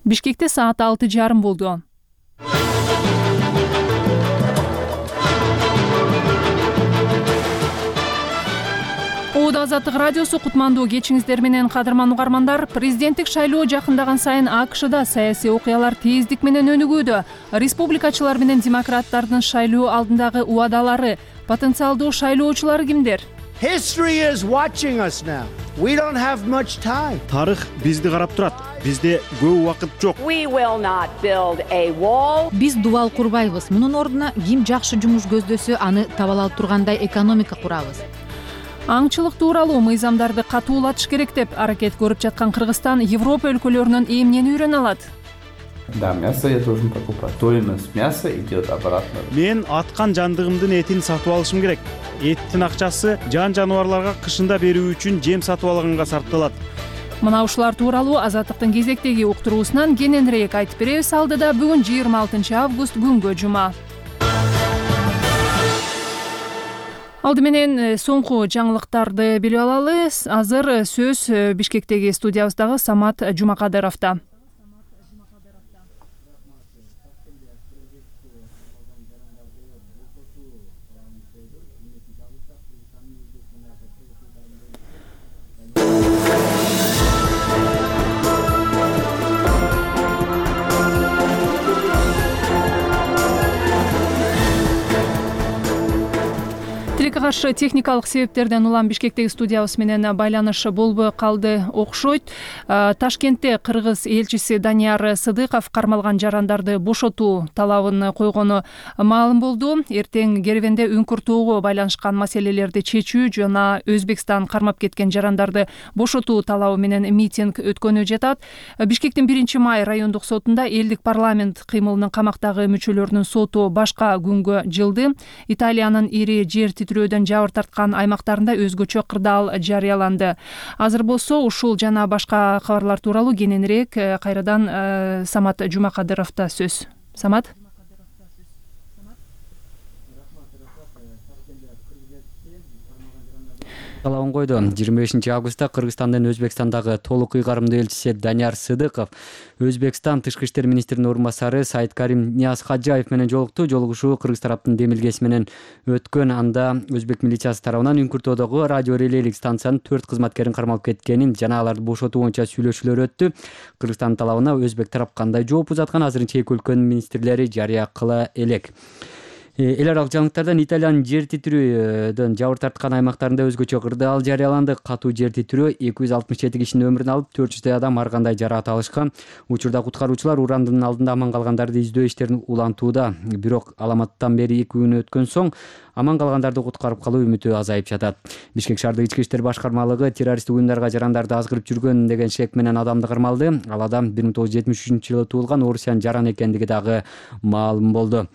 Бишкекте саат 6:30 болду. Азаттык радиосу кутмандуу кечиңиздер менен, кадырман угармандар. Президенттик шайлоо жакындаган сайын АКШда саясий окуялар тездик менен өнүгүүдө. Республикачылар менен демократтардын шайлоо алдындагы убадалары, потенциалдуу шайлоочулар кимдер? History is watching us now. We don't have much time. Тарых бизди карап турат. Бизде көп убакыт жок. We will not build a wall. Биз дубал курбайбыз. Мунун ордуна ким жакшы жумуш көздөсө, аны табала алып тургандай экономика курабыз. Аңчылык тууралуу мыйзамдарды катуулатыш керек деп аракет көрүп жаткан Кыргызстан Европа өлкөлөрүнөн эмнени үйрөнө алат? Да, мясо я должен покупать. Стоимость мяса идет обратно. Мен аткан жандыгымдын этин сатып алышым керек. Эттин акчасы жан жаныбарларга кышында берүү үчүн жем сатып алганга сарпталат. Мына ушулар тууралуу Азаттыктын кезектеги уктуруусунан кененирээк айтып беребиз. Алдыда бүгүн 26 август күнгө жума. Алды менен соңку жаңылыктарды билип алалы. Азыр сөз Бишкектеги студиябыздагы Самат Жумакадыровдо. Каршы техникалык себептерден улам Бишкектеги студиябыз менен байланыш болбой калды окшойт. Ташкентте Кыргыз элчиси Данияр Сыдыков кармалган жарандарды бошотуу талабын койгону маалым болду. Эртең кербенде үңкүртөөгө байланышкан маселелерди чечүү жана Өзбекстан кармап кеткен жарандарды бошотуу талабы менен митинг өткөнү жатат. Бишкектин 1-май райондук сотунда элдик парламент кыймылынын камактагы мүчөлөрүнүн соту башка күнгө жылды. Италиянын ири жер титирөөдөн жабыр тарткан аймактарында өзгөчө кырдаал жарыяланды. Азыр болсо ушул жана башка кабарлар тууралуу кененирээк кайрадан Самат Жумакадыровдо сөз. Самат. Талабын койду. 25 августта Кыргызстандын Өзбекстандагы толук ыйгарымдуу элчиси Данияр Сыдыков Өзбекстан тышкы иштер министринин орун басары Сайыткарим Ниязхаджаев менен жолукту. Жолугушуу кыргыз тараптын демилгеси менен өткөн. Анда өзбек милициясы тарабынан үңкүртөдөгү радио релейлик станциянын 4 кызматкерин кармалып кеткенин жана аларды бошотуу боюнча сүйлөшүүлөр өттү. Кыргызстан талабына өзбек тарап кандай жооп узаткан азырынча эки өлкөнүн министрлери жарыя кыла элек. Эл аралык жаңылыктардан Италиянын жер титирөөдөн жабыр тарткан аймактарында өзгөчө кырдаал жарыяланды. Катуу жер титирөө 267 кишинин өмүрүн алып, 400 адам ар кандай жараат алышкан. Учурда куткаруучулар урандын алдында аман калгандарды издөө иштерин улантууда. Бирок аламаттан бери 2 күн өткөн соң аман калгандарды куткарып калуу үмүтү азайып жатат. Бишкек шаардык ички иштер башкармалыгы террористтик уюмдарга жарандарды азгырып жүргөн деген шек менен адамды кармалды. Ал адам 1973-жылы туулган орусиянын жаран экендиги дагы маалым болду.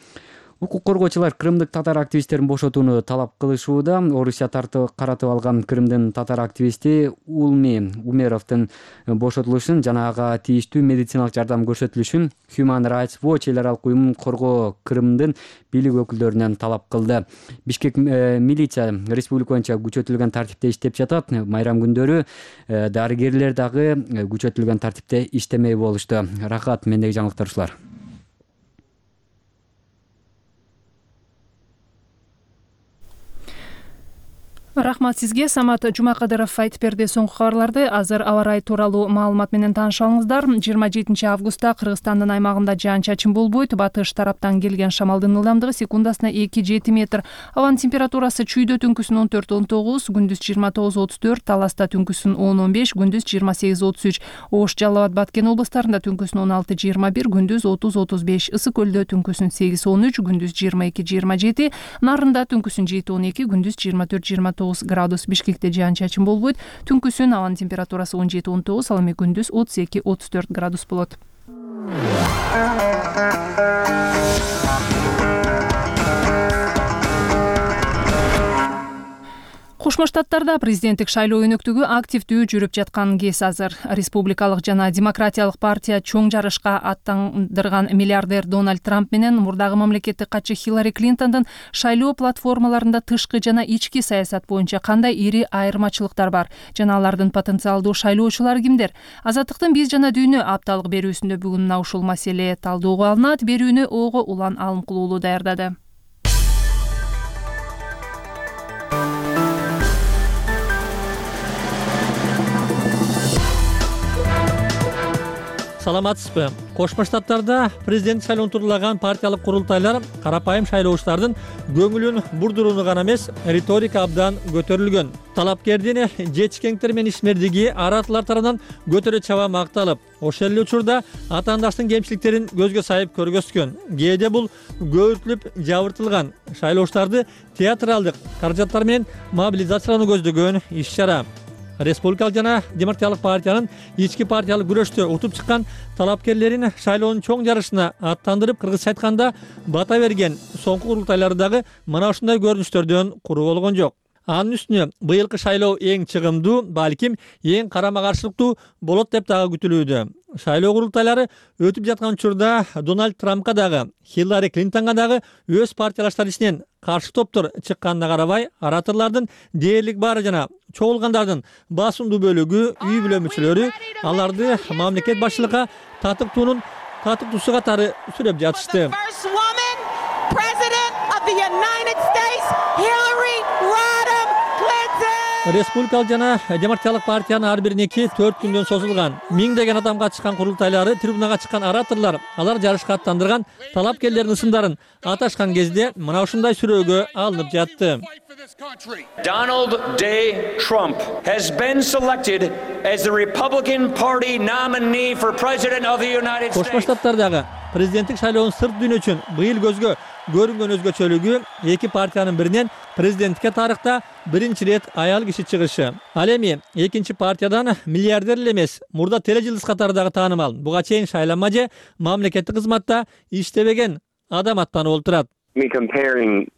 Укук коргоочулар крымдык татар активисттерин бошотууну талап кылышууда. Орусия каратып алган Крымдын татар активисти Улми Умеровдун бошотулушун жана ага тийиштүү медициналык жардам көрсөтүлүшүн Human Rights Watch эл аралык уюмун коргоо Крымдын бийлик өкүлдөрүнөн талап кылды. Бишкек милиция республика боюнча күчөтүлгөн тартипте иштеп жатат. Майрам күндөрү дарыгерлер дагы күчөтүлгөн тартипте иштемей болушту. Рахат, мендеги жаңылыктар ушулар. Рахмат сизге, Самат Жумакадыров айтып берди соңку кабарларды. Азыр аба ырайы тууралуу маалымат менен тааныша алыңыздар. 27 августта Кыргызстандын аймагында жаан-чачын болбойт. Батыш тараптан келген шамалдын ылдамдыгы секундасына 2-7 метр. Абанын температурасы чүйдө түнкүсүн 14-19, күндүз 29-34, Таласта түнкүсүн 10-15, күндүз 28-33, Ош, Жалал абад, Баткен областарында түнкүсүн 16-21, күндүз 30-35, Ысык көлдө түнкүсүн 8-13, күндүз 22-27, Нарында түнкүсүн 7-12, күндүз 24-29 градус. Бишкекте жаан-чачын болбойт. Түнкүсүн абанын температурасы 17-19, ал эми күндүз 32-34 градус болот. Кошмо Штаттарда президенттик шайлоо өнөктүгү активдүү жүрүп жаткан кез азыр. Республикалык жана демократиялык партия чоң жарышка аттандырган миллиардер Дональд Трамп менен мурдагы мамлекеттик катчы Хиллари Клинтондун шайлоо платформаларында тышкы жана ички саясат боюнча кандай ири айырмачылыктар бар жана алардын потенциалдуу шайлоочулары кимдер? Азаттыктын Биз жана дүйнө апталык берүүсүндө бүгүн мына ушул маселе талдоого алынат. Берүүнү Ого Улан Алымкулуулу даярдады. Саламатсызбы? Кошмо Штаттарда президент шайлоон тургулаган партиялык курултайлар карапайым шайлоочулардын көңүлүн бурдурууну гана эмес, риторика абдан көтөрүлгөн. Талапкердин жетишкендиктери менен ишмердиги аратылар тарабынан көтөрө чаба макталып, ошол эле учурда атаандаштын кемчиликтерин көзгө сайып көргөзгөн. Кээде бул көбүртүлүп жабыртылган шайлоочуларды театралдык каражаттар менен мобилизациялоону көздөгөн иш-чара. Республикалык жана демократиялык партиянын ички партиялык күрөштө утуп чыккан талапкерлерин шайлоонун чоң жарышына аттандырып, кыргызча айтканда бата берген соңку курултайлары дагы мына ушундай көрүнүштөрдөн куру болгон жок. Анын үстүнө быйылкы шайлоо эң чыгымдуу, балким эң карама-каршылыктуу болот деп дагы күтүлүүдө. Шайлоо курултайлары өтүп жаткан учурда Дональд Трампка дагы, Хиллари Клинтонго дагы өз партиялаштары ичинен каршы топтор чыкканына карабай, ораторлордун дээрлик баары жана чогулгандардын басымдуу бөлүгү үй бүлө мүчөлөрү аларды мамлекет башчылыкка татыктуусу катары сүрөп жатышты. Республикалык жана демократиялык партиянын ар бириники 4 күндөн созулган, миңдеген адам катышкан курултайлары, трибунага чыккан ораторлор, алар жарышка аттандырган талапкерлердин ысымдарын аташкан кезде мына ушундай сүрөөгө алынып жатты. Donald J. Trump has been selected as the Republican Party nominee for President of the United States. Кошмо Штаттардагы президенттик шайлоонун сырт дүйнө үчүн быйыл көзгө көрүнгөн өзгөчөлүгү эки партиянын биринен президенттикке тарыхта биринчи ирет аял киши чыгышы. Ал эми экинчи партиядан миллиардер эле эмес, мурда тележылдыз катары дагы таанымал, буга чейин шайланма же мамлекеттик кызматта иштебеген адам аттанып олтурат. Comparing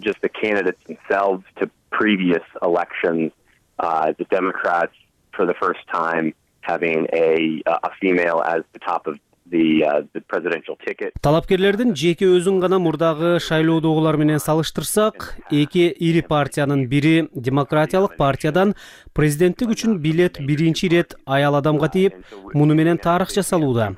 just the candidates themselves to previous elections, the Democrats for the first time having a female as the top of the presidential ticket. Талапкерлердин жеке өзүн гана мурдагы шайлоодогулар менен салыштырсак, эки ири партиянын бири демократиялык партиядан президенттик үчүн билет биринчи ирет аял адамга тийип, муну менен тарых жасалууда.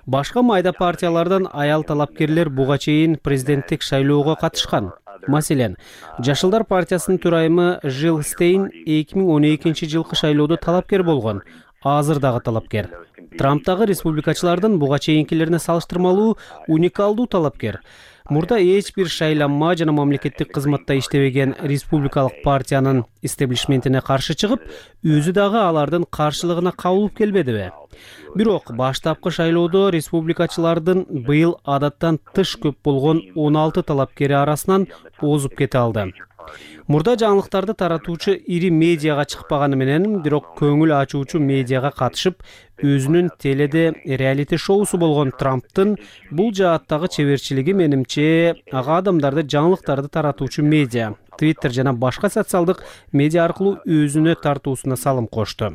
Башка майда партиялардан аял талапкерлер буга чейин президенттик шайлоого катышкан. Маселен, Жашылдар партиясынын төрайымы Жил Стейн 2012 жылкы шайлоодо талапкер болгон. Азыр дагы талапкер. Трамптагы республикачылардын буга чейинкилерине салыштырмалуу уникалдуу талапкер. Мурда эч бир шайланма жана мамлекеттик кызматта иштебеген республикалык партиянын истеблишментине каршы чыгып, өзү дагы алардын каршылыгына кабылып келбедиби? Бирок баштапкы шайлоодо республикачылардын быйыл адаттан тыш көп болгон 16 талапкери арасынан озуп кете алды. Мурда жаңылыктарды таратуучу ири медиага чыкпаганы менен, бирок көңүл ачуучу медиага катышып, өзүнүн теледе реалити шоусу болгон Трамптын бул жааттагы чеберчилиги менимче ага адамдарды жаңылыктарды таратуучу медиа, Twitter жана башка социалдык медиа аркылуу өзүнө тартуусуна салым кошту.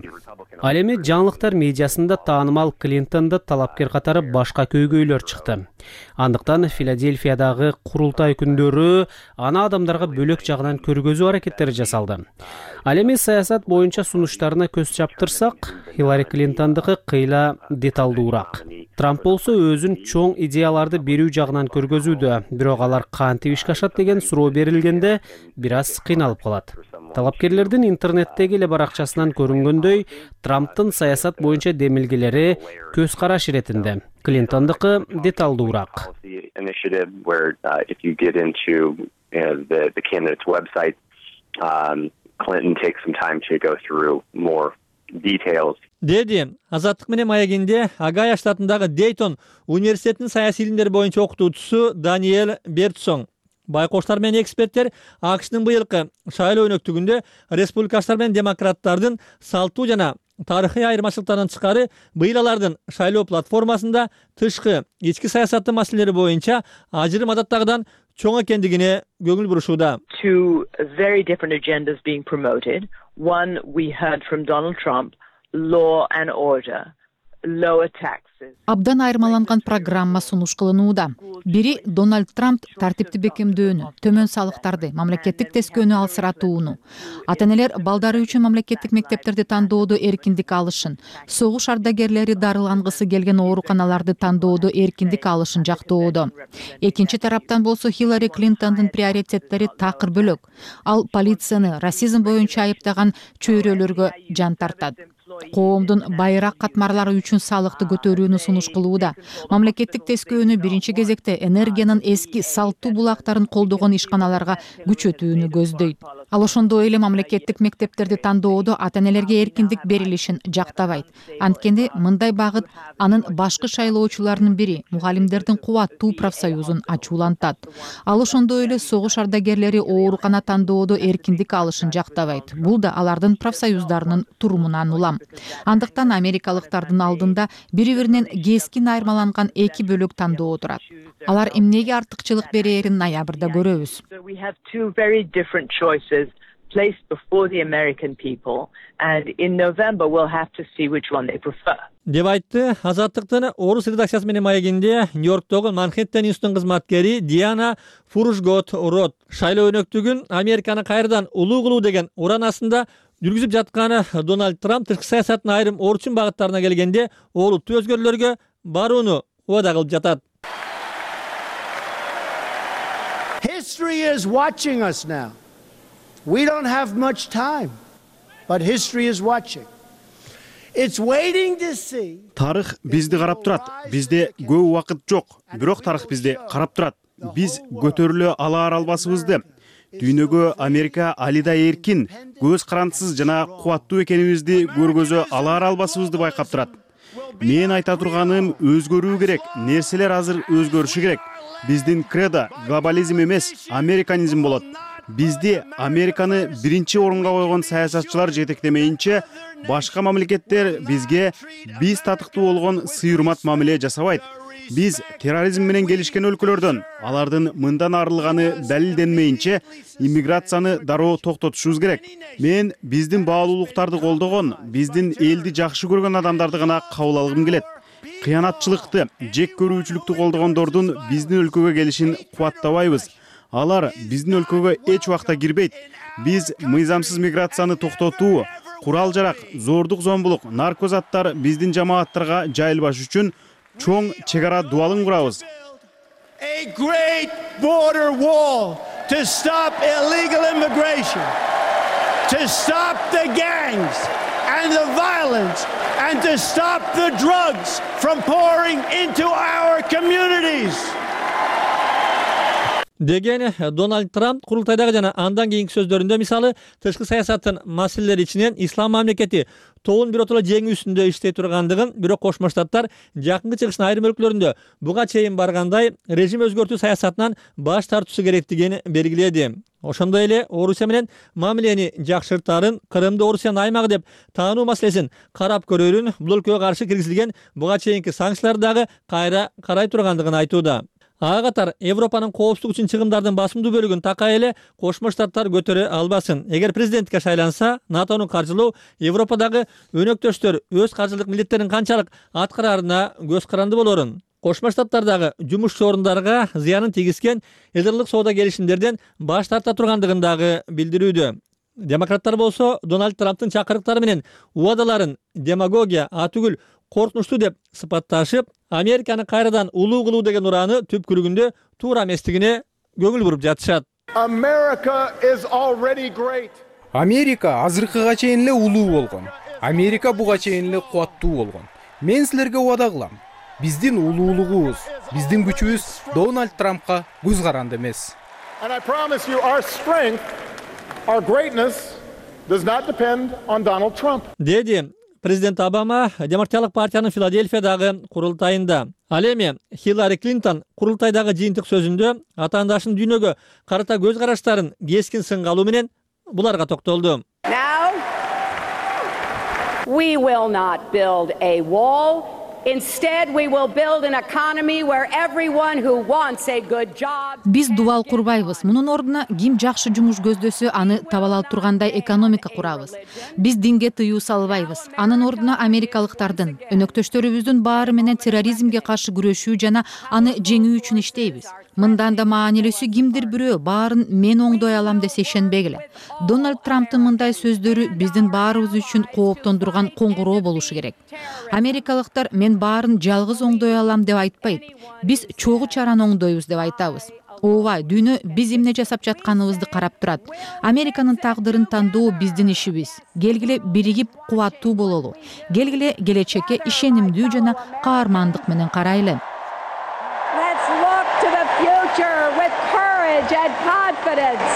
Ал эми жаңылыктар медиасында таанымал Клинтонду талапкер катары башка көйгөйлөр чыкты. Андыктан Филадельфиядагы курултай күндөрү аны адамдарга бөлөк жагынан көргөзүү аракеттери жасалды. Ал эми саясат боюнча сунуштарына көз чаптырсак, Хиллари Клинтондуку кыйла деталдуураак. Трамп болсо өзүн чоң идеяларды берүү жагынан көргөзүүдө, бирок алар кантип ишке ашат деген суроо берилгенде бир аз кыйналып калат. Талапкерлердин интернеттеги эле баракчасынан көрүнгөндөй, Трамптын саясат боюнча демилгелери көз караш иретинде. Клинтондуку деталдуураак. Clinton takes some time to go through more details. Деди, Азаттык менен маегинде Агая штатындагы Дейтон университетинин саясий илимдер боюнча окутуучусу Даниэль Бертсон. Байкоштар менен эксперттер АКШнын быйылкы шайлоо өнөктүгүндө республикачылар менен демократтардын салттуу жана тарыхый айырмачылыктардан тышкары быйыл алардын шайлоо платформасында тышкы ички саясаттын маселелери боюнча ажырым адаттагыдан чоң экендигине көңүл бурушууда. Two very different agendas being promoted. One we heard from Donald Trump, law and order, lower taxes. Абдан айырмаланган программа сунуш кылынууда. Бири Дональд Трамп тартипти бекемдөөнү, төмөн салыктарды, мамлекеттик тескөөнү алсыратууну, ата-энелер балдары үчүн мамлекеттик мектептерди тандоодо эркиндик алышын, согуш ардагерлери дарылангысы келген ооруканаларды тандоодо эркиндик алышын жактоодо. Экинчи тараптан болсо Хиллари Клинтондун приоритеттери такыр бөлөк. Ал полицияны расизм боюнча айыптаган чөйрөлөргө жан тартат. Коомдун байыраак катмарлары үчүн салыкты көтөрүүнү сунуш кылууда. Мамлекеттик тескөөнү биринчи кезекте энергиянын эски салттуу булактарын колдогон ишканаларга күчөтүүнү көздөйт. Ал ошондой эле мамлекеттик мектептерди тандоодо ата-энелерге эркиндик берилишин жактабайт. Анткени мындай багыт анын башкы шайлоочуларынын бири, мугалимдердин кубаттуу профсоюзун ачуулантат. Ал ошондой эле согуш ардагерлери оорукана тандоодо эркиндик алышын жактабайт. Бул да алардын профсоюздарынын турумунан улам. Андыктан америкалыктардын алдында бири-биринен кескин айырмаланган эки бөлөк тандоо турат. Алар эмнеге артыкчылык берээрин ноябрда көрөбүз. We have two very different choices placed before the American people, and in November we'll have to see which one they prefer. Деп айтты Азаттыктын орус редакциясы менен маегинде Нью-Йорктогу Манхэттен институтунун кызматкери Диана Фурушгот-Рот. Шайлоо өнөктүгүн Американы кайрадан улуу кылуу деген уран астында жүргүзүп жатканы Дональд Трамп тышкы саясаттын айрым орчун багыттарына келгенде олуттуу өзгөрүүлөргө барууну убада кылып жатат. History is watching us now. We don't have much time, but history is watching. It's waiting to see. Тарых бизди карап турат. Бизде көп убакыт жок, бирок тарых бизди карап турат. Биз көтөрүлө албасыбызды. Дүйнөгө Америка алида эркин, көз карандысыз жана кубаттуу экенибизди көргөзө албасыбызды байкап турат. Мен айта турганым өзгөрүү керек, нерселер азыр өзгөрүшү керек. Биздин кредо глобализм эмес, американизм болот. Бизди Американы биринчи орунга койгон саясатчылар жетектемейинче, башка мамлекеттер бизге биз татыктуу болгон сый-урмат мамиле жасабайт. Биз терроризм менен келишкен өлкөлөрдөн алардын мындан арылганы далилденмейинче иммиграцияны дароо токтотушубуз керек. Мен биздин баалуулуктарды колдогон, биздин элди жакшы көргөн адамдарды гана кабыл алгым келет. Кыянатчылыкты, жек көрүүчүлүктү колдогондордун биздин өлкөгө келишин кубаттабайбыз. Алар биздин өлкөгө эч убакта кирбейт. Биз мыйзамсыз миграцияны токтотуу, курал-жарак, зордук-зомбулук, наркозаттар биздин жамааттарга жайылбаш үчүн чоң чек ара дубалын курабыз. A great border wall to stop illegal immigration, to stop the gangs and the violence, and to stop the drugs from pouring into our communities. Деген Дональд Трамп курултайдагы жана андан кийинки сөздөрүндө мисалы тышкы саясаттын маселелери ичинен ислам мамлекети тоон биротоло жеңүү үстүндө иштей тургандыгын, бирок Кошмо Штаттар жакынкы чыгыштын айрым өлкөлөрүндө буга чейин баргандай режим өзгөртүү саясатынан баш тартуусу керектигин белгиледи. Ошондой эле Орусия менен мамилени жакшыртарын, Крымды Орусиянын аймагы деп таануу маселесин карап көрөрүн, бул өлкөгө каршы киргизилген буга чейинки санкциялар дагы кайра карай тургандыгын айтууда. Ага катар Европанын коопсуздук үчүн чыгымдардын басымдуу бөлүгүн такай эле Кошмо Штаттар көтөрө албасын. Эгер президентке шайланса, НАТОну каржылоо Европадагы өнөктөштөр өз каржылык милдеттерин канчалык аткарарына көз каранды болорун. Кошмо Штаттардагы жумушчу орундарга зыянын тийгизген элдерлик соода келишимдерден баш тарта тургандыгын дагы билдирүүдө. Демократтар болсо Дональд Трамптын чакырыктары менен убадаларын демагогия, атүгүл коркунучтуу деп сыпатташып, Американы кайрадан улуу кылуу деген урааны түпкүлүгүндө туура эместигине көңүл буруп жатышат. Америка азыркыга чейин эле улуу болгон. Америка буга чейин эле кубаттуу болгон. Мен силерге убада кылам. Биздин улуулугубуз, биздин күчүбүз Дональд Трампка көз каранды эмес. Деди президент Обама Демократиялык партиянын Филадельфиядагы курултайында. Ал эми Хиллари Клинтон курултайдагы жыйынтык сөзүндө атаандашынын дүйнөгө карата көз караштарын кескин сынга алуу менен буларга токтолду. Now, we will not build a wall Instead, we will build an economy where everyone who wants a good job. Биз дубал курбайбыз. Мунун ордуна ким жакшы жумуш көздөсө, аны таба алып тургандай экономика курабыз. Биз динге тыюу салбайбыз. Анын ордуна америкалыктардын, өнөктөштөрүбүздүн баары менен терроризмге каршы күрөшүү жана аны жеңүү үчүн иштейбиз. Мындан да маанилүүсү кимдир бирөө баарын мен оңдой алам десе ишенбегиле. Дональд Трамптын мындай сөздөрү биздин баарыбыз үчүн кооптондурган коңгуроо болушу керек. Америкалыктар мен баарын жалгыз оңдой алам деп айтпайт. Биз чогуу чараны оңдойбуз деп айтабыз. Ооба, дүйнө биз эмне жасап жатканыбызды карап турат. Американын тагдырын тандоо биздин ишибиз. Келгиле биригип кубаттуу бололу. Келгиле келечекке ишенимдүү жана каармандык менен карайлы. Let's look to the future with courage and confidence.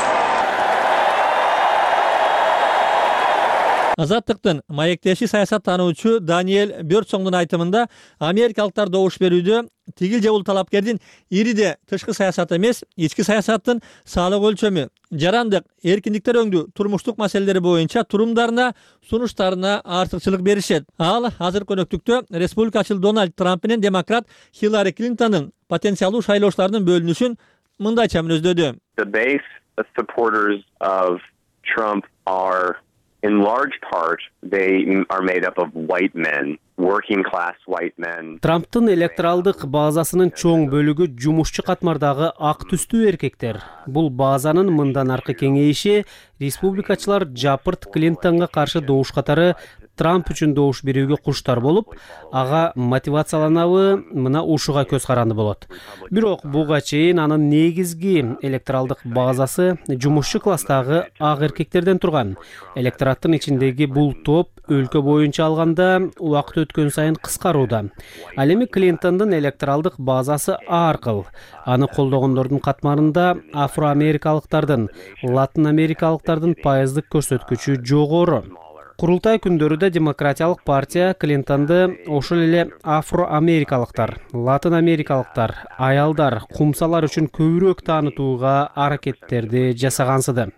Азаттыктын маектеши саясаттануучу Даниэль Бёрдсоңдун айтымында америкалыктар добуш берүүдө тигил же бул талапкердин ириде тышкы саясат эмес, ички саясаттын салык өлчөмү, жарандык, эркиндиктер өңдүү турмуштук маселелери боюнча турумдарына, сунуштарына артыкчылык беришет. Ал азыркы өнөктүктө республикачыл Дональд Трамп менен демократ Хиллари Клинтондун потенциалдуу шайлоочулардын бөлүнүшүн мындайча мүнөздөдү. The base supporters of Trump are, in large part, they are made up of white men, working class white men. Трамптын электоралдык базасынын чоң бөлүгү жумушчу катмардагы ак түстүү эркектер. Бул базанын мындан аркы кеңейиши республикачылар жапырт Клинтонго каршы добуш катары Трамп үчүн добуш берүүгө куштар болуп, ага мотивацияланабы, мына ушуга көз каранды болот. Бирок буга чейин анын негизги электоралдык базасы жумушчу класстагы ак эркектерден турган. Электораттын ичиндеги бул топ өлкө боюнча алганда убакыт өткөн сайын кыскарууда. Ал эми Клинтондун электоралдык базасы аркыл. Аны колдогондордун катмарында афроамерикалыктардын, латын америкалыктардын пайыздык көрсөткүчү жогору. Курултай күндөрүдө Демократиялык партия Клинтонду ошол эле афроамерикалыктар, латын америкалыктар, аялдар, кумсалар үчүн көбүрөөк таанытууга аракеттерди жасагансыды.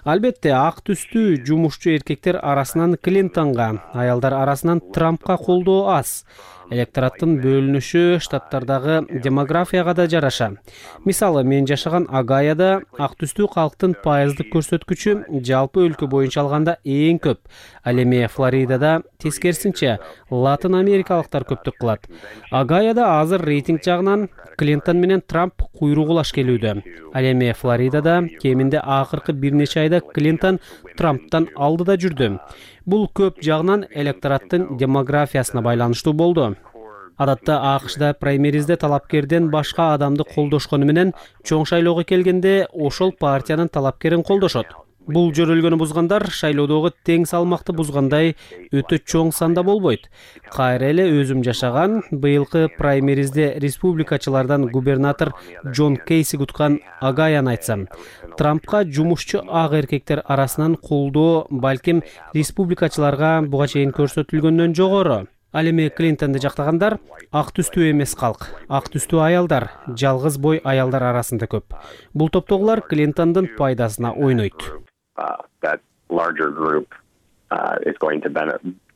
Албетте, ак түстүү жумушчу эркектер арасынан Клинтонго, аялдар арасынан Трампка колдоо аз. Электораттын бөлүнүшү штаттардагы демографияга да жараша. Мисалы, мен жашаган Огайода ак түстүү калктын пайыздык көрсөткүчү жалпы өлкө боюнча алганда эң көп. Ал эми Флоридада тескерисинче латын америкалыктар көптүк кылат. Огайода азыр рейтинг жагынан Клинтон менен Трамп куйругулаш келүүдө. Ал эми Флоридада кеминде акыркы бир нече айда Клинтон Трамптан алдыда жүрдү. Бул көп жагынан электораттын демографиясына байланыштуу болду. Адатта АКШда праймеризде талапкерден башка адамды колдошкону менен чоң шайлоого келгенде ошол партиянын талапкерин колдошот. Бул жөрөлгөнү бузгандар шайлоодогу тең салмакты бузгандай өтө чоң санда болбойт. Кайра эле өзүм жашаган быйылкы праймеризде республикачылардан губернатор Джон Кейси уткан Огайону айтсам, Трампка жумушчу ак эркектер арасынан колдоо балким республикачыларга буга чейин көрсөтүлгөндөн жогору. Ал эми Клинтонду жактагандар ак түстүү эмес калк, ак түстүү аялдар, жалгыз бой аялдар арасында көп. Бул топтогулар Клинтондун пайдасына ойнойт. That larger group is going to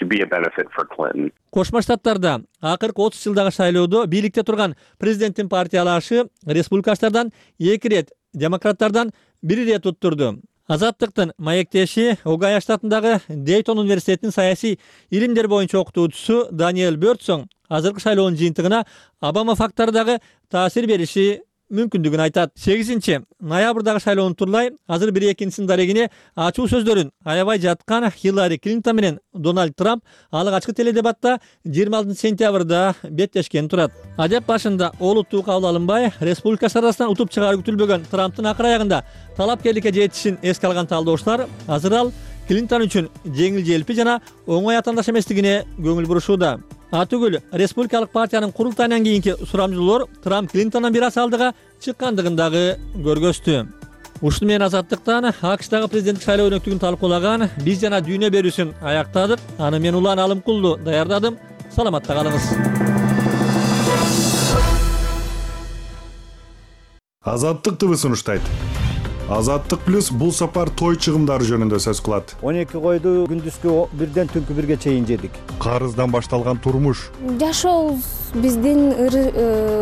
be a benefit for Clinton. Кошмо Штаттарда акыркы 30 жылдагы шайлоодо бийликте турган президенттин партиялашы республикачылардан 2 рет, демократтардан 1 рет уттурду. Азаттыктын маектеши Огайо штатындагы Дейтон университетинин саясий илимдер боюнча окутуучусу Даниэль Бёрдсоң азыркы шайлоонун жыйынтыгына Обама фактору дагы таасир бериши мүмкүндүгүн айтат. 8-ноябрдагы шайлоонун турлай азыр бир экинчисинин дарегине ачуу сөздөрүн аябай жаткан Хиллари Клинтон менен Дональд Трамп алык ачкы теледебатта 26-сентябрда беттешкен турат. Адеп башында олуттуу кабыл алынбай, республикачылар арасынан утуп чыгары күтүлбөгөн Трамптын акыр аягында талапкерликке жетишин эске алган талдоочулар азыр ал Клинтон үчүн жеңил желпи жана оңой атаандаш эместигине көңүл бурушууда. Атүгүл республикалык партиянын курултайынан кийинки сурамжылоолор Трамп Клинтондон бир аз алдыга чыккандыгын дагы көргөздү. Ушуну менен Азаттыктан АКШдагы президенттик шайлоо өнөктүгүн талкуулаган биз жана дүйнө берүүсүн аяктадык. Аны мен Улан Алымкулду даярдадым. Саламатта калыңыз. Азаттык ТВ сунуштайт. Азаттык плюс бул сапар той чыгымдары жөнүндө сөз кылат. 12 койду күндүзгү 1ден түнкү 1ге чейин жедик. Карыздан башталган турмуш. Жашообуз биздин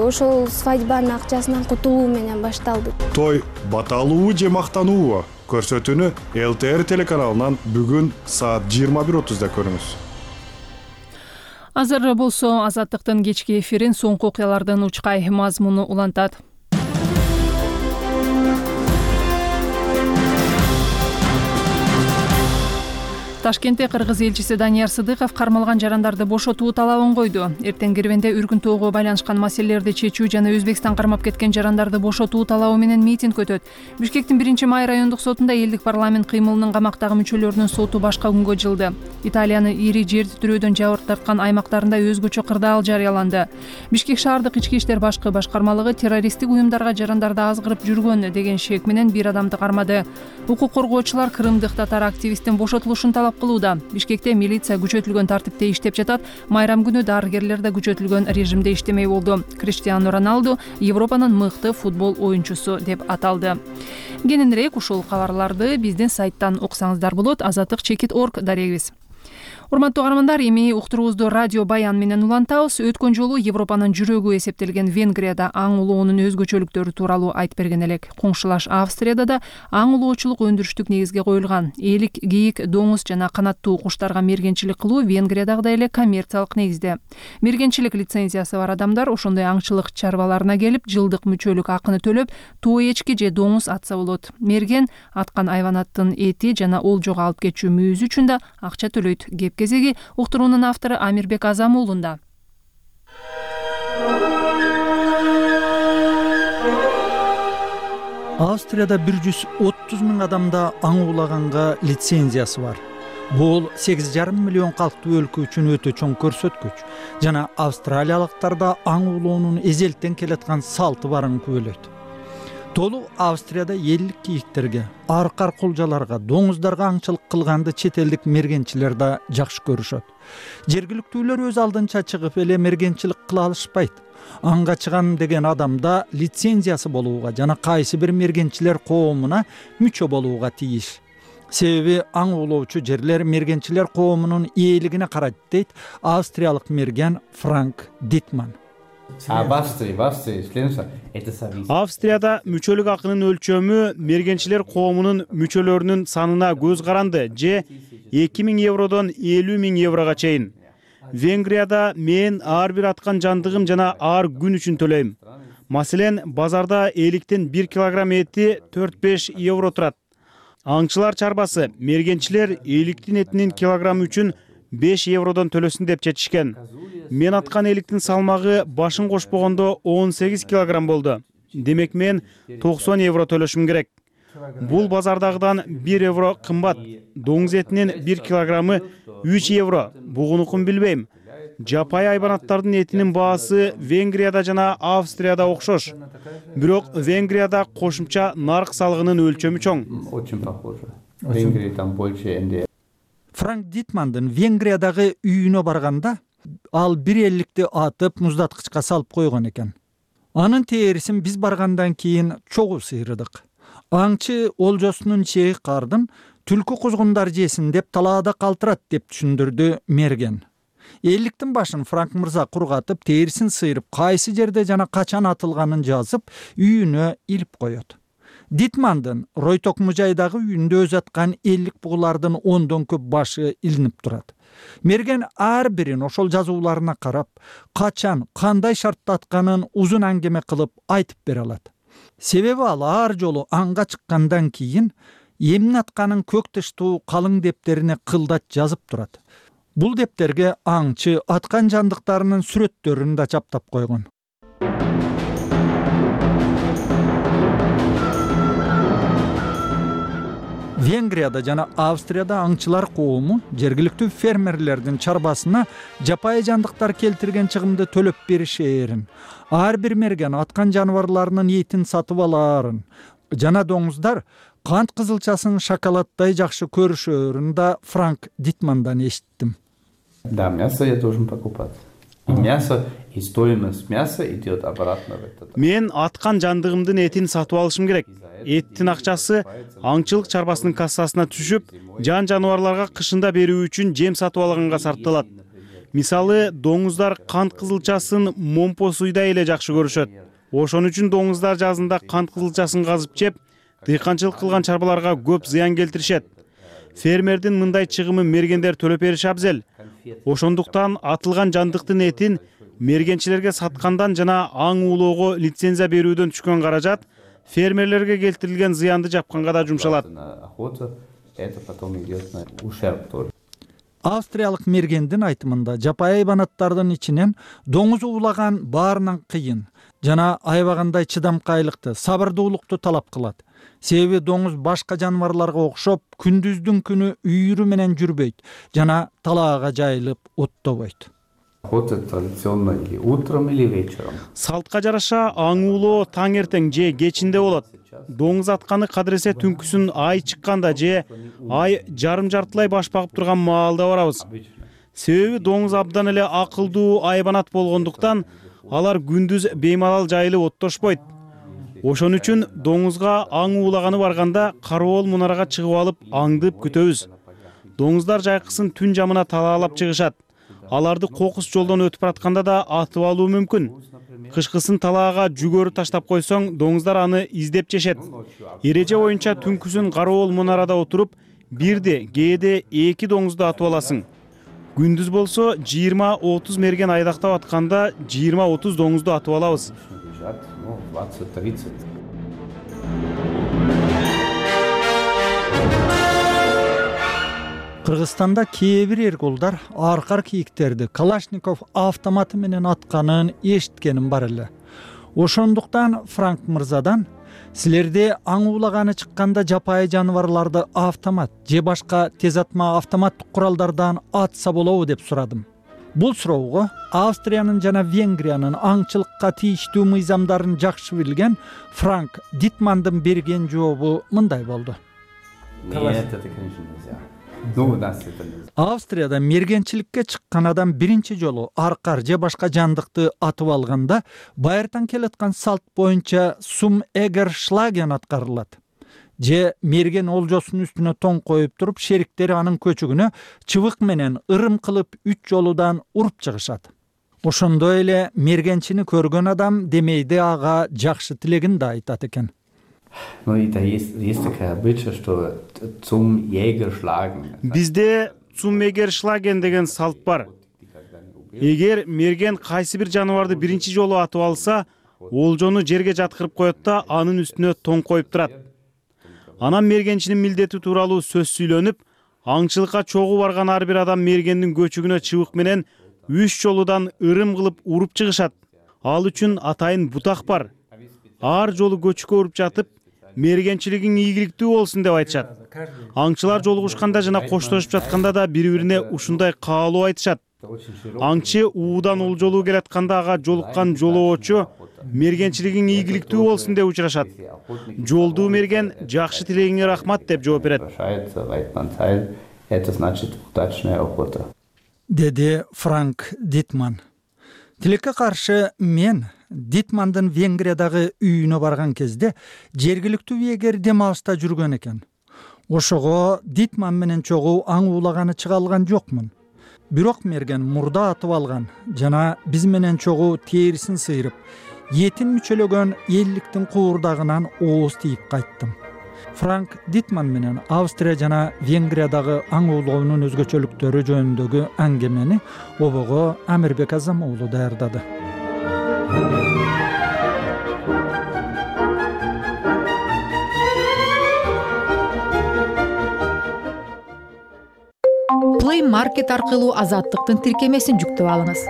ошол свадьбанын акчасынан кутулуу менен башталды. Той баталуу же мактануубу? Көрсөтүүнү ЛТР телеканалынан бүгүн саат 21:30 көрүңүз. Азыр болсо Азаттыктын кечки эфирин соңку окуялардын учкай мазмуну улантат. Ташкентте Кыргыз элчиси Данияр Сыдыков кармалган жарандарды бошотуу талабын койду. Эртең Кирвенде үркүнтөөгө байланышкан маселелерди чечүү жана Өзбекстан кармап кеткен жарандарды бошотуу талабы менен митинг өтөт. Бишкектин 1-Май райондук сотунда элдик парламент кыймылынын камактагы мүчөлөрүнүн соту башка күнгө жылды. Италиянын ири жер титирөөдөн жабыр тарткан аймактарында өзгөчө кырдаал жарыяланды. Бишкек шаардык ички иштер башкы башкармалыгы террористтик уюмдарга жарандарды азгырып жүргөн деген шек менен бир адамды кармады. Укук коргоочулар кырымдык татар активисттин бошотулушун талап кылууда. Бишкекте милиция күчөтүлгөн тартипте иштеп жатат. Майрам күнү дарыгерлер да күчөтүлгөн режимде иштемей болду. Криштиану Роналду Европанын мыкты футбол оюнчусу деп аталды. Кененирээк ушул кабарларды биздин сайттан окусаңыздар болот. Azattik.org дарегибиз. Урматтуу каармандар, эми уктуруубузду радио Баян менен улантабыз. Өткөн жолу Европанын жүрөгү эсептелген Венгрияда аң улоонун өзгөчөлүктөрү тууралуу айтып берген элек. Коңшулаш Австрияда да аң улоочулук өндүрүштүк негизге коюлган. Элик, кийик, доңуз жана канаттуу куштарга мергенчилик кылуу Венгриядагыдай эле коммерциялык негизде. Мергенчилик лицензиясы бар адамдар ошондой аңчылык чарбаларына келип, жылдык мүчөлүк акыны төлөп, тоо эчки же доңуз атса болот. Мерген аткан айванаттын эти жана олжого алып кетчү мүйүзү үчүн да акча төлөйт. Кезеги уктуруунун автору Амирбек Азам уулунда. Австрияда 130 000 адамда аң уулаганга лицензиясы бар. Бул 8,5 миллион калктуу өлкө үчүн өтө чоң көрсөткүч. Жана австралиялыктарда аң уулоонун эзелтен келаткан салты барын күбөлөйт. Толу Австрияда элдик кийиктерге, аркар кулжаларга, доңуздарга аңчылык кылганды чет элдик мергенчилер да жакшы көрүшөт. Жергиликтүүлөр өз алдынча чыгып эле мергенчилик кыла алышпайт. Аңга чыгам деген адамда лицензиясы болууга жана кайсы бир мергенчилер коомуна мүчө болууга тийиш. Себеби аң уулоочу жерлер мергенчилер коомунун ээлигине карайт дейт австриялык мерген Франк Дитман. Австрияда мүчөлүк акынын өлчөмү мергенчилер коомунун мүчөлөрүнүн санына көз каранды же 2000 евродон 50 000 еврого чейин. Венгрияда мен ар бир аткан жандыгым жана ар күн үчүн төлөйм. Маселен, базарда эликтин 1 килограмм эти 4-5 евро турат. Аңчылар чарбасы мергенчилер эликтин этинин килограммы үчүн 5 евродон төлөсүн деп чечишкен. Мен аткан эликтин салмагы башын кошпогондо 18 килограмм болду. Демек мен 90 евро төлөшүм керек. Бул базардагыдан 1 евро кымбат. Доңуз этинин 1 килограммы 3 евро. Бугунукун билбейм. Жапай айбанаттардын этинин баасы Венгрияда жана Австрияда окшош. Бирок Венгрияда кошумча нарк салыгынын өлчөмү чоң. Франк Дитмандын Венгриядагы үйүнө барганда ал 1,50 атып муздаткычка салып койгон экен. Анын терисин биз баргандан кийин чогуу сыйрыдык. Аңчы олжосунун чеги кардын түлкү кузгундар жесин деп талаада калтырат деп түшүндүрдү мерген. Элдиктин башын Франк мырза кургатып, терисин сыйрып, кайсы жерде жана качан атылганын жазып, үйүнө илип коет. Дитмандын Ройток мужайдагы үйүндө өз аткан 50 бугулардын 10дон көп башы илинип турат. Мерген ар бирин ошол жазууларына карап, качан, кандай шартта атканын узун аңгеме кылып айтып бере алат. Себеби ал ар жолу аңга чыккандан кийин эмне атканын көк тыштуу калың дептерине кылдат жазып турат. Бул дептерге аңчы аткан жандыктарынын сүрөттөрүн да чаптап койгон. Венгрияда жана Австрияда аңчылар коому жергиликтүү фермерлердин чарбасына жапайы жандыктар келтирген чыгымды төлөп беришээрин, ар бир мерген аткан жаныбарларынын этин сатып алаарын жана доңуздар кант кызылчасын шоколаддай жакшы көрүшөрүн да Франк Дитмандан эшиттим. Да, мясо я должен покупать. И мясо, И стоимость мяса идет обратно в этот. Мен аткан жандыгымдын этин сатып алышым керек. Эттин акчасы аңчылык чарбасынын кассасына түшүп, жан-жаныбарларга кышында берүү үчүн жем сатып алганга сарпталат. Мисалы, доңуздар кант кызылчасын момпо суйда эле жакшы көрүшөт. Ошон үчүн доңуздар жазында кант кызылчасын казып жеп, дыйканчылык кылган чарбаларга көп зыян келтиришет. Фермердин мындай чыгымы мергендер төлөп бериши абзел. Ошондуктан атылган жандыктын этин мергенчилерге саткандан жана аң уулоого лицензия берүүдөн түшкөн каражат фермерлерге келтирилген зыянды жапканга да жумшалат. Австриялык мергендин айтымында жапайы айбанаттардын ичинен доңуз уулаган баарынан кыйын жана аябагандай чыдамкайлыкты, сабырдуулукту талап кылат. Себеби доңуз башка жаныбарларга окшоп күндүздүн күнү үйүрү менен жүрбөйт жана талаага жайылып оттобойт. Традиционно или утром, или вечером. Салтка жараша аң уулоо таң эртең же кечинде болот. Доңуз атканы кадыресе түнкүсүн ай чыкканда же ай жарым-жартылай баш багып турган маалда барабыз. Себеби доңуз абдан эле акылдуу айбанат болгондуктан алар күндүз беймалал жайылып оттошпойт. Ошон үчүн доңузга аң уулаганы барганда кароол мунарага чыгып алып аңдып күтөбүз. Доңуздар жайкысын түн жамына талаалап чыгышат. Аларды кокус жолдон өтүп баратканда да атып алуу мүмкүн. Кышкысын талаага жүгөрү таштап койсоң, доңуздар аны издеп жешет. Эреже боюнча түнкүсүн кароол мунарада отуруп, бирде, кээде 2 доңузду атып аласың. Күндүз болсо 20-30 мерген айдактап атканда 20-30 доңузду атып алабыз. Кыргызстанда кээ бир эрголдар аркар кийиктерди Калашников автоматы менен атканын эшиткеним бар эле. Ошондуктан Франк мырзадан силерде аң уулаганы чыкканда жапайы жаныбарларды автомат же башка тез атма автоматтык куралдардан атса болобу деп сурадым. Бул суроого Австриянын жана Венгриянын аңчылыкка тийиштүү мыйзамдарын жакшы билген Франк Дитмандын берген жообу мындай болду. Австрияда мергенчиликке чыккан адам биринчи жолу аркар же башка жандыкты атып алганда байыртан келаткан салт боюнча сум эгер шлаген аткарылат. Же мерген олжосунун үстүнө тоң коюп туруп, шериктери анын көчүгүнө чыбык менен ырым кылып 3 жолудан уруп чыгышат. Ошондой эле мергенчини көргөн адам демейде ага жакшы тилегин да айтат экен. Ну и да есть такая обычай, что zum Jäger schlagen. Бизде zum Jäger schlagen деген салт бар. Эгер мерген кайсы бир жаныбарды биринчи жолу атып алса, олжону жерге жаткырып коет да анын үстүнө тоң коюп турат. Анан мергенчинин милдети тууралуу сөз сүйлөнүп, аңчылыкка чогуу барган ар бир адам мергендин көчүгүнө чыбык менен 3 жолудан ырым кылып уруп чыгышат. Ал үчүн атайын бутак бар. Ар жолу көчүккө уруп жатып, мергенчилигиң ийгиликтүү болсун деп айтышат. Аңчылар жолугушканда жана коштошуп жатканда да бири-бирине ушундай каалоо айтышат. Аңчы уудан олжолуу келатканда ага жолуккан жолоочу мергенчилигиң ийгиликтүү болсун деп учурашат. Жолдуу мерген жакшы тилегиңе рахмат деп жооп берет. Деди Франк Дитман. Тилекке каршы мен Дитмандын Венгриядагы үйүнө барган кезде жергиликтүү биегер дем алышта жүргөн экен. Ошого Дитман менен чогуу аң уулаганы чыга алган жокмун. Бирок мерген мурда атып алган жана биз менен чогуу терисин сыйрып, этин мүчөлөгөн элликтин куурдагынан ооз тийип кайттым. Франк Дитман менен Австрия жана Венгриядагы аң уулоонун өзгөчөлүктөрү жөнүндөгү аңгемени обого Амирбек Азам уулу даярдады. Play Market аркылуу Азаттыктын тиркемесин жүктөп алыңыз.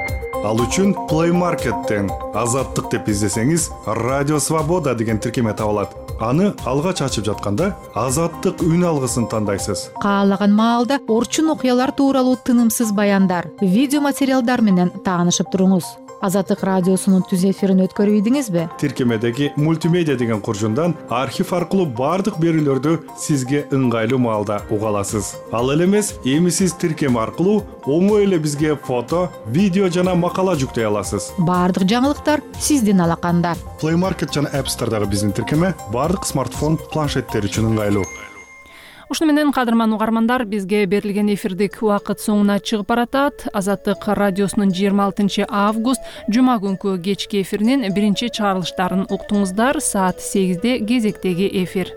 Ал үчүн Play Market'тен Азаттык деп издесеңиз, Радио Свобода деген тиркеме табылат. Аны алгач ачып жатканда Азаттык үн алгысын тандайсыз. Каалаган маалда орчун окуялар тууралуу тынымсыз баяндар, видео материалдар менен таанышып туруңуз. Азаттык радиосунун түз эфирин өткөрүп ийдиңизби? Тиркемедеги мультимедиа деген куржундан архив аркылуу бардык берүүлөрдү сизге ыңгайлуу маалда уга аласыз. Ал эле эмес, эми сиз тиркеме аркылуу оңой эле бизге фото, видео жана макала жүктөй аласыз. Бардык жаңылыктар сиздин алаканда. Play Market жана App Store'дагы биздин тиркеме бардык смартфон, планшеттер үчүн ыңгайлуу. Ушуну менен кадырман угармандар, бизге берилген эфирдик убакыт соңуна чыгып баратат. Азаттык радиосунун 26 август жума күнкү кечки эфиринин биринчи чыгарылыштарын уктуңуздар. Саат 8-де кезектеги эфир.